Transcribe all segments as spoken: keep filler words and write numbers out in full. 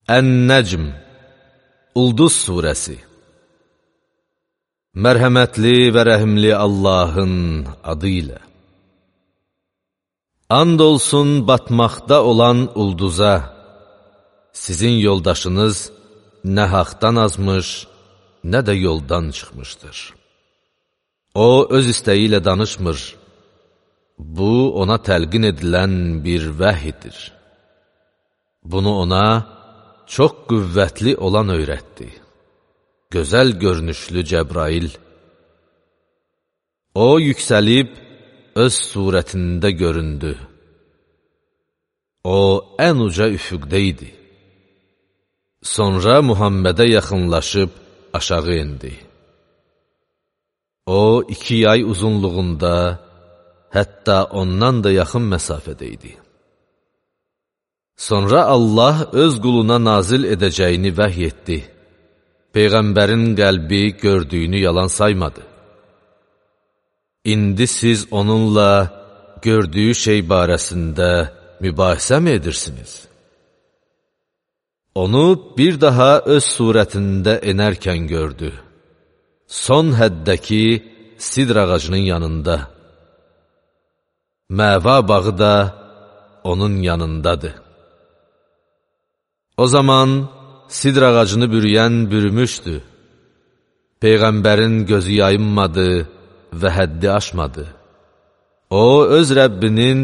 Ən-Nəcm, Ulduz surəsi. Mərhəmətli və rəhimli Allahın adı ilə. And olsun batmaqda olan ulduza, sizin yoldaşınız nə haqdan azmış, nə də yoldan çıxmışdır. O, öz istəyi ilə danışmır. Bu, ona təlqin edilən bir vəhyidir. Bunu ona çox qüvvətli olan öyrətdi. Gözəl görünüşlü Cəbrail. O, yüksəlib, öz surətində göründü. O, ən uca üfüqdə idi. Sonra Muhammedə yaxınlaşıb aşağı indi. O, iki yay uzunluğunda, hətta ondan da yaxın məsafədə idi. Sonra Allah öz quluna nazil edəcəyini vəhy etdi. Peyğəmbərin qəlbi gördüyünü yalan saymadı. İndi siz onunla gördüyü şey barəsində mübahisə mi edirsiniz? Onu bir daha öz surətində enərkən gördü. Son həddəki sidr ağacının yanında. Məva bağı da onun yanındadır. O zaman sidr ağacını bürüyən bürümüşdü. Peyğəmbərin gözü yayınmadı və həddi aşmadı. O, öz Rəbbinin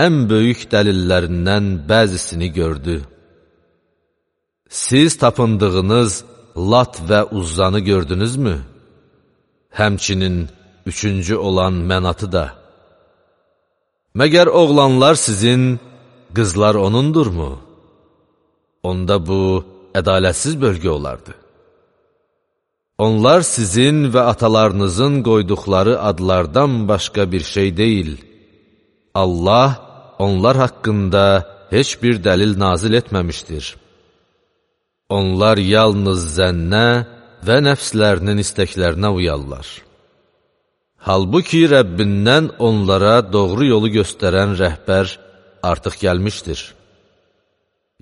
ən böyük dəlillərindən bəzisini gördü. Siz tapındığınız Lat və Uzzanı gördünüzmü? Həmçinin üçüncü olan Mənatı da. Məgər oğlanlar sizin, qızlar onundurmu? Onda bu, ədalətsiz bölgə olardı. Onlar sizin və atalarınızın qoyduqları adlardan başqa bir şey deyil. Allah onlar haqqında heç bir dəlil nazil etməmişdir. Onlar yalnız zənnə və nəfslərinin istəklərinə uyarlar. Halbuki Rəbbindən onlara doğru yolu göstərən rəhbər artıq gəlmişdir.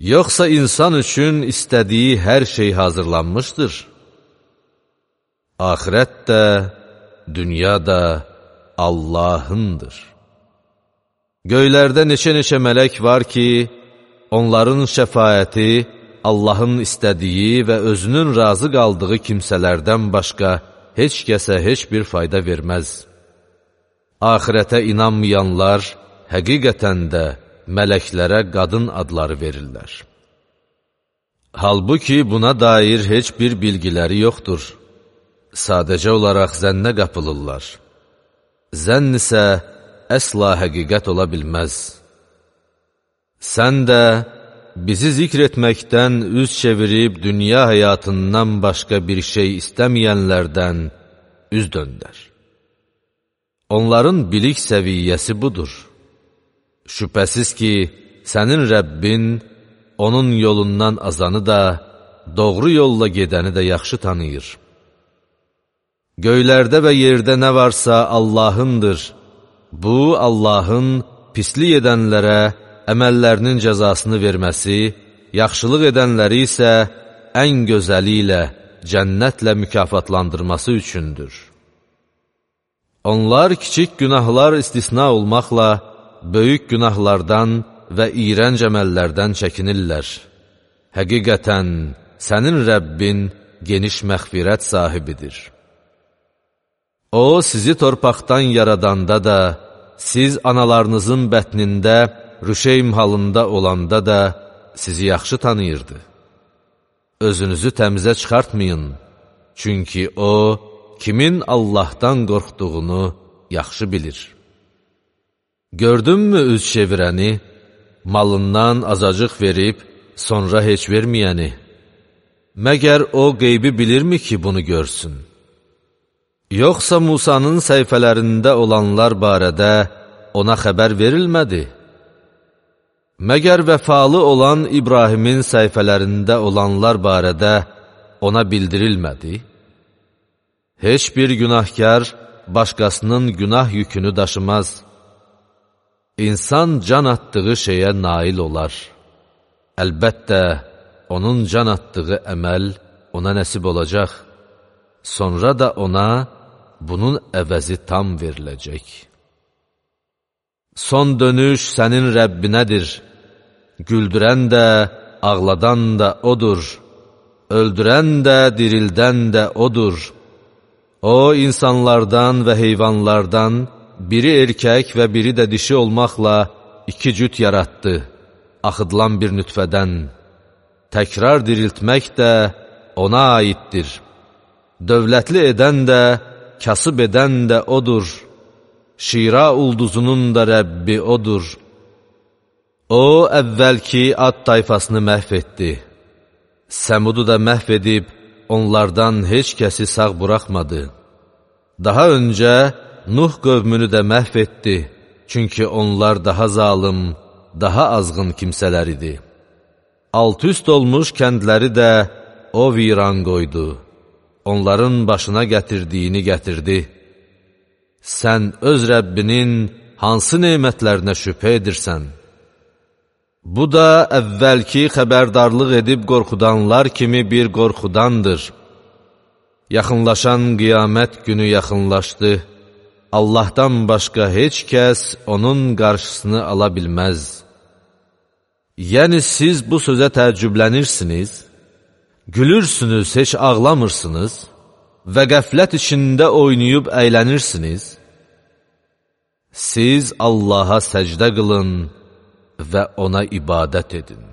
Yoxsa insan üçün istədiyi hər şey hazırlanmışdır. Axirət də, dünya da Allahındır. Göylərdə neçə-neçə mələk var ki, onların şəfaəti Allahın istədiyi və özünün razı qaldığı kimsələrdən başqa heç kəsə heç bir fayda verməz. Axirətə inanmayanlar həqiqətən də mələklərə qadın adları verirlər. Halbuki buna dair heç bir bilgiləri yoxdur. Sadəcə olaraq zənnə qapılırlar. Zənn isə əsla həqiqət ola bilməz. Sən də bizi zikr etməkdən üz çevirib dünya həyatından başqa bir şey istəməyənlərdən üz döndər. Onların bilik səviyyəsi budur. Şübhəsiz ki, sənin Rəbbin onun yolundan azanı da, doğru yolla gedəni də yaxşı tanıyır. Göylərdə və yerdə nə varsa Allahındır. Bu, Allahın pislik edənlərə əməllərinin cəzasını verməsi, yaxşılıq edənləri isə ən gözəli ilə, cənnətlə mükafatlandırması üçündür. Onlar kiçik günahlar istisna olmaqla, böyük günahlardan və iyrənc əməllərdən çəkinirlər. Həqiqətən, sənin Rəbbin geniş məğfirət sahibidir. O, sizi torpaqdan yaradanda da, siz analarınızın bətnində, rüşeym halında olanda da sizi yaxşı tanıyırdı. Özünüzü təmizə çıxartmayın, çünki O, kimin Allahdan qorxduğunu yaxşı bilir. Gördünmü üz çevirəni, malından azacıq verib, sonra heç verməyəni? Məgər o qeybi bilirmi ki, bunu görsün? Yoxsa Musanın səhifələrində olanlar barədə ona xəbər verilmədi? Məgər vəfalı olan İbrahimin səhifələrində olanlar barədə ona bildirilmədi? Heç bir günahkar başqasının günah yükünü daşımaz. İnsan can atdığı şeyə nail olar. Əlbəttə, onun can atdığı əməl ona nəsib olacaq. Sonra da ona bunun əvəzi tam veriləcək. Son dönüş sənin Rəbbinədir. Güldürən də, ağladan da odur. Öldürən də, dirildən də odur. O, insanlardan və heyvanlardan biri erkək və biri də dişi olmaqla iki cüt yaratdı, axıdılan bir nütfədən. Təkrar diriltmək də ona aiddir. Dövlətli edən də, kasıb edən də odur. Şira ulduzunun da Rəbbi odur. O, əvvəlki Ad tayfasını məhv etdi. Səmudu da məhv edib, onlardan heç kəsi sağ buraxmadı. Daha öncə Nuh qövmünü də məhv etdi, çünki onlar daha zalım, daha azğın kimsələr idi. Alt üst olmuş kəndləri də o viran qoydu. Onların başına gətirdiyini gətirdi. Sən öz Rəbbinin hansı nemətlərinə şübhə edirsən? Bu da əvvəlki xəbərdarlıq edib qorxudanlar kimi bir qorxudandır. Yaxınlaşan qiyamət günü yaxınlaşdı. Allahdan başqa heç kəs onun qarşısını ala bilməz. Yəni siz bu sözə təəccüblənirsiniz, gülürsünüz, heç ağlamırsınız və qəflət içində oynayıb əylənirsiniz. Siz Allaha səcdə qılın və ona ibadət edin.